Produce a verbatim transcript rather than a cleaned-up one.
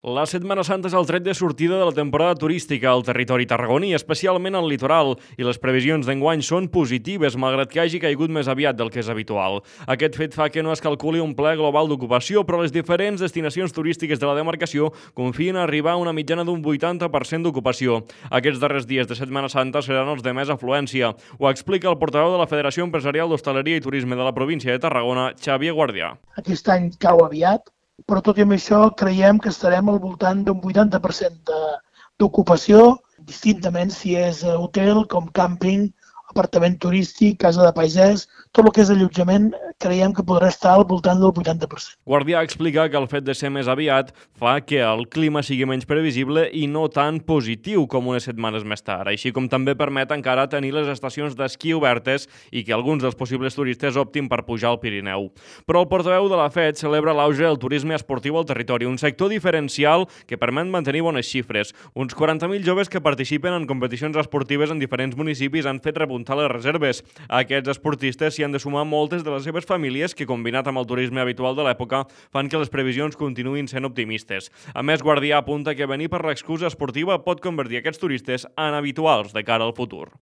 La Setmana Santa és el tret de sortida de la temporada turística al territori tarragoní, especialment al litoral, i les previsions d'enguany són positives, malgrat que hagi caigut més aviat del que és habitual. Aquest fet fa que no es calculi un ple global d'ocupació, però les diferents destinacions turístiques de la demarcació confien a arribar a una mitjana d'un vuitanta per cent d'ocupació. Aquests darrers dies de Setmana Santa seran els de més afluència. Ho explica el portaveu de la Federació Empresarial d'Hostaleria i Turisme de la província de Tarragona, Xavier Guardià. Aquest any cau aviat, però tot i amb això creiem que estarem al voltant d'un vuitanta per cent d'ocupació, distintament si és hotel, com càmping, apartament turístic, casa de paisès, tot el que és allotjament creiem que podrà estar al voltant del vuitanta per cent. Guardià explica que el fet de ser més aviat fa que el clima sigui menys previsible i no tan positiu com unes setmanes més tard, així com també permet encara tenir les estacions d'esquí obertes i que alguns dels possibles turistes optin per pujar al Pirineu. Però el portaveu de la F E D celebra l'auge del turisme esportiu al territori, un sector diferencial que permet mantenir bones xifres. Uns quaranta mil joves que participen en competicions esportives en diferents municipis han fet repuntar les reserves. A aquests esportistes s'hi han de sumar moltes de les seves famílies que, combinat amb el turisme habitual de l'època, fan que les previsions continuïn sent optimistes. A més, Guardià apunta que venir per l'excusa esportiva pot convertir aquests turistes en habituals de cara al futur.